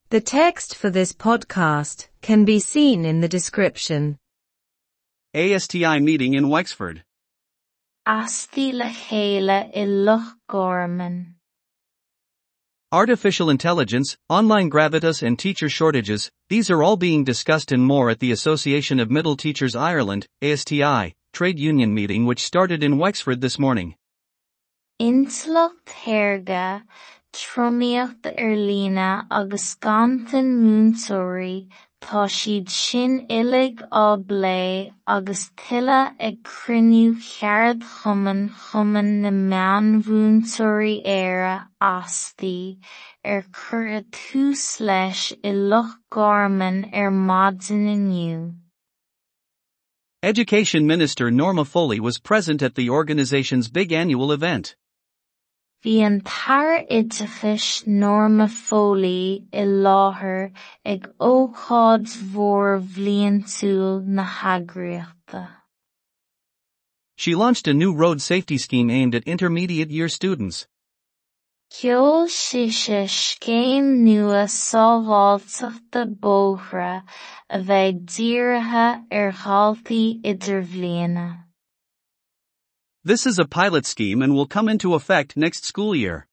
The text for this podcast can be seen in the description. ASTI meeting in Wexford. Asti le chéile i Loch Garman. Artificial intelligence, online gravitas and teacher shortages, these are all being discussed and more at the Association of Middle Teachers Ireland, ASTI, trade union meeting which started in Wexford this morning. Intleacht shaorga, tromaíocht ar líne agus ganntan múinteoirí, tá siad sin uilig á bplé agus tuilleadh ag cruinniú Cheardchumann Chumann na Meánmhúinteoirí Éire ASTI, ar cuireadh tús leis i Loch Garman ar maidin inniu. Education Minister Norma Foley was present at the organization's big annual event. Bhí an tAire Oideachais Norma Foley i láthair ag ócáid mhór bhliantúil na heagraíochta. She launched a new road safety scheme aimed at intermediate year students. Sheol sise scéim nua sábháilteachta bóithre a bheidh dírithe ar dhaltaí idirbhliana. This is a pilot scheme and will come into effect next school year.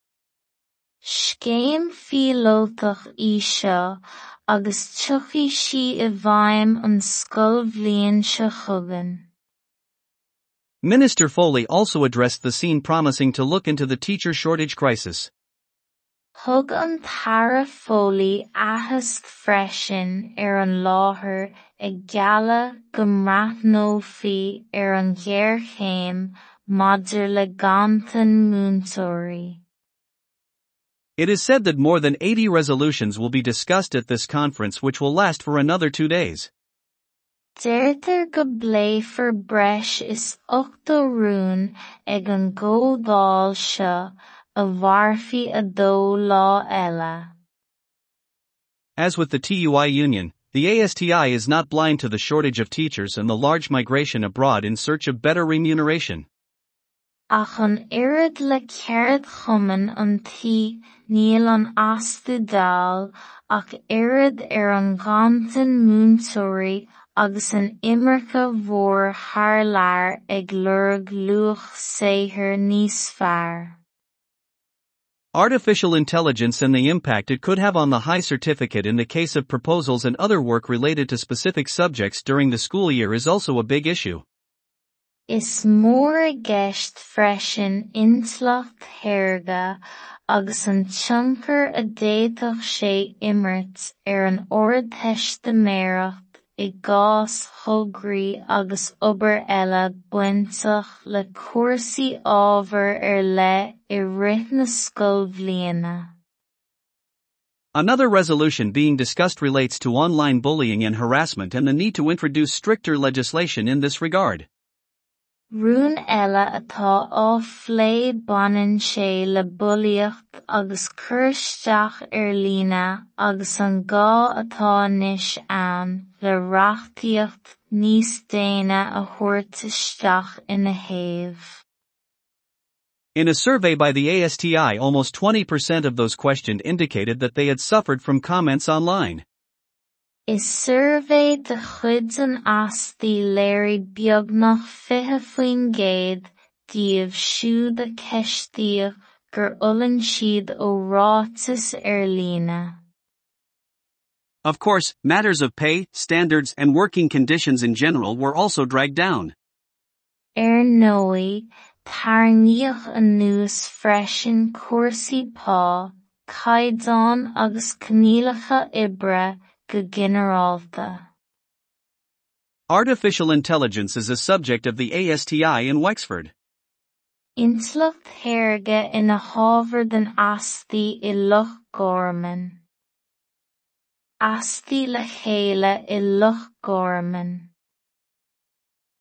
Scéim phíolótach í seo agus tiocfaidh sí i bhfeidhm an scoilbhliain seo chugainn. Minister Foley also addressed the scene promising to look into the teacher shortage crisis. Thug an tAire Foley aitheasc freisin ar an láthair ag gealladh go mbreathnófaí ar an ghéarchéim maidir le ganntan múinteoirí. It is said that more than 80 resolutions will be discussed at this conference which will last for another 2 days. Deirtear go bpléifear breis is 80 rún ag an gcomhdháil seo a mhairfidh 2 lá eile. As with the TUI union, the ASTI is not blind to the shortage of teachers and the large migration abroad in search of better remuneration. Ach an oiread le ceardchumann an tí níl an ASTI dall ach oiread ar an nganntan múinteoirí agus an imirce mhór thar lear ag lorg luach saothair níos fearr. Artificial intelligence and the impact it could have on the high certificate in the case of proposals and other work related to specific subjects during the school year is also a big issue. Is mór i gceist freisin intleacht shaorga agus an tionchar a d'fhéadfadh sé imirt ar an ardteistiméireacht i gcás thograí agus obair eile bainteach le cúrsaí ábhair ar leith i rith na scoilbhliana. Another resolution being discussed relates to online bullying and harassment and the need to introduce stricter legislation in this regard. Rún eile atá á phlé baineann sé le bulaíocht agus cur isteach ar líne agus an gá atá anois ann le reachtaíocht níos déine a thabhairt isteach ina thaobh. In a survey by the ASTI, almost 20% of those questioned indicated that they had suffered from comments online. I suirbhé de chuid an ASTI léirigh beagnach 20% díobh siúd a ceistíodh gur fhulaing siad ó ráitis ar líne. Of course, matters of pay, standards, and working conditions in general were also dragged down. Ar ndóigh, tarraingíodh anuas freisin cúrsaí pá, caighdeán agus coinníollacha oibre go ginearálta. Artificial intelligence is a subject of the ASTI in Wexford. Intleacht shaorga ina hábhar den ASTI i Loch Garman. ASTI le chéile i Loch Garman.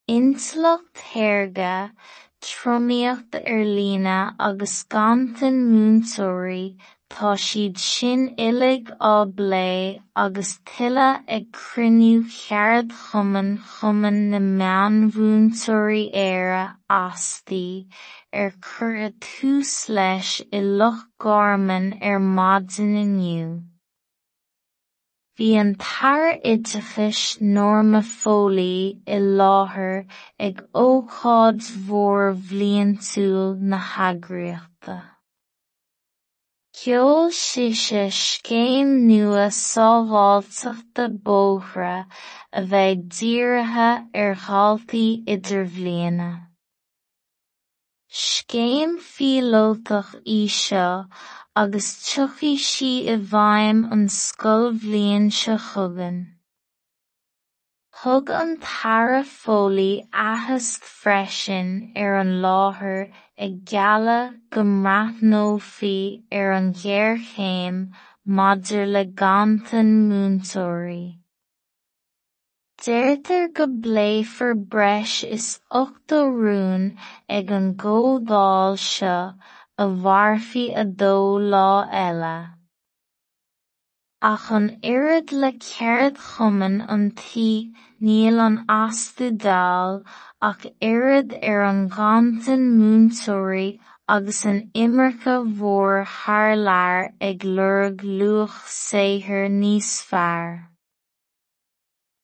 Intleacht shaorga, tromaíocht ar líne agus ganntan múinteoirí, tá siad sin uilig á bplé agus tuilleadh ag cruinniú Cheardchumann Chumann na Meánmhúinteoirí Éire ASTI, ar cuireadh tús leis i Loch Garman ar maidin inniu. Bhí an tAire Oideachais Norma Foley i láthair ag ócáid mhór bhliantúil na heagraíochta. Sheol sise scéim nua sábháilteachta bóithre a bheidh dírithe ar dhaltaí idirbhliana. Scéim phíolótach í seo agus tiocfaidh sí i bhfeidhm an scoilbhliain seo chugainn. Thug an tAire Foley aitheasc freisin ar an láthair ag gealladh go mbreathnófaí ar an ghéarchéim maidir le ganntan múinteoirí. Deirtear go bpléifear breis is 80 rún ag an gcomhdháil seo a mhairfidh 2 lá eile. Ach an oiread le ceardchumann an tí níl an ASTI dall ach oiread ar an nganntan múinteoirí agus an imirce mhór thar lear ag lorg luach saothair níos fearr.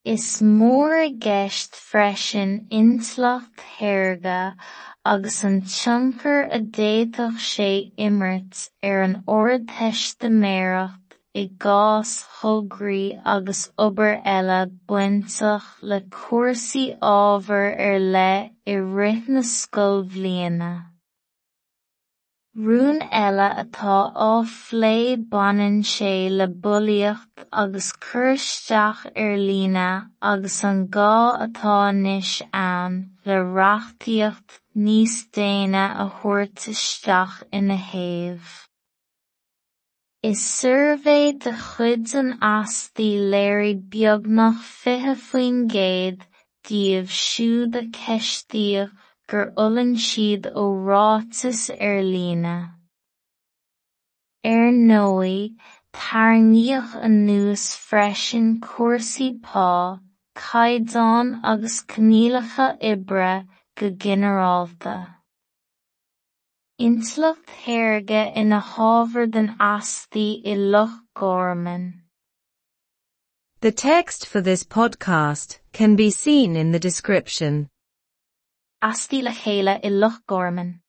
Is mór i gceist freisin intleacht shaorga agus an tionchar a d'fhéadfadh sé imirt ar an Ardteistiméireacht i gcás thograí agus obair eile bainteach le cúrsaí ábhair ar leith i rith na scoilbhliana. Rún eile atá á phlé baineann sé le bulaíocht agus cur isteach ar líne agus an gá atá anois ann le reachtaíocht níos déine a thabhairt isteach ina thaobh. I suirbhé de chuid an ASTI léirigh beagnach 20% díobh siúd a ceistíodh gur fhulaing siad ó ráitis ar líne. Ar ndóigh, tarraingíodh anuas freisin cúrsaí pá, caighdeán agus coinníollacha oibre go ginearálta. Intleacht shaorga ina hábhar den ASTI i Loch Garman. The text for this podcast can be seen in the description. ASTI le chéile i Loch Garman.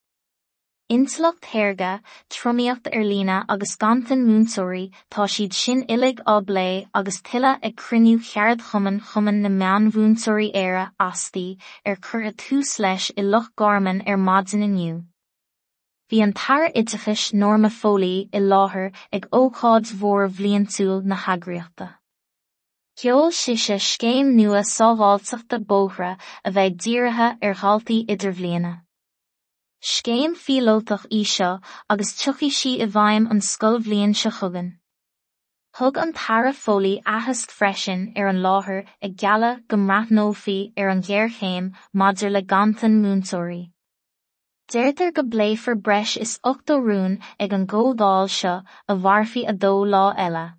Intleacht shaorga, tromaíocht ar líne agus ganntan múinteoirí, tá siad sin uilig á bplé agus tuilleadh ag cruinniú cheardchumann Chumann na Meánmhúinteoirí Éire, ASTI, ar cuireadh tús leis i Loch Garman ar maidin inniu. Bhí an tAire Oideachais Norma Foley i láthair ag ócáid mhór bhliantúil na heagraíochta. Sheol sise scéim nua sábháilteachta bóithre a bheidh dírithe ar dhaltaí idirbhliana. Scéim phíolótach í seo agus tiocfaidh sí i bhfeidhm an scoilbhliain seo chugainn. Thug an tAire Foley aitheasc freisin ar an láthair ag gealladh go mbreathnófaí ar an ghéarchéim maidir le ganntan múinteoirí. Deirtear go bpléifear breis is 80 rún ag an gcomhdháil seo a mhairfidh 2 lá eile.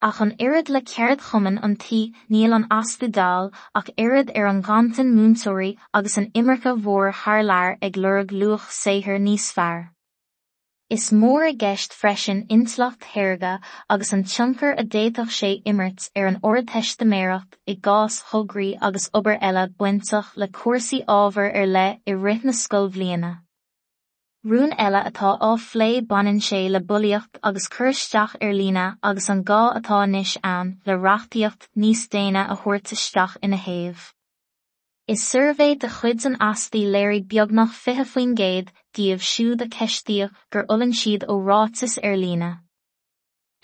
Ach an oiread le ceardchumann an tí níl an ASTI dall ach oiread ar an nganntan múinteoirí agus an imirce mhór thar lear ag lorg luach saothair níos fearr. Is mór i gceist freisin intleacht shaorga agus an tionchar a d'fhéadfadh sé imirt ar an Ardteistiméireacht i gcás thograí agus obair eile bainteach le cúrsaí ábhair ar leith i rith na scoilbhliana. Rún eile atá á phlé baineann sé le bulaíocht agus cur isteach ar líne agus an gá atá anois ann le reachtaíocht níos déine a thabhairt isteach ina thaobh. I suirbhé de chuid an ASTI léirigh beagnach 20% díobh siúd a ceistíodh gur fhulaing siad ó ráitis ar líne.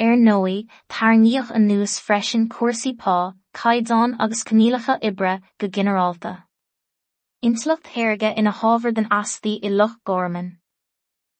Ar ndóigh, tarraingíodh anuas freisin cúrsaí pá, caighdeán agus coinníollacha oibre go ginearálta. Intleacht shaorga ina hábhar den ASTI i Loch Garman.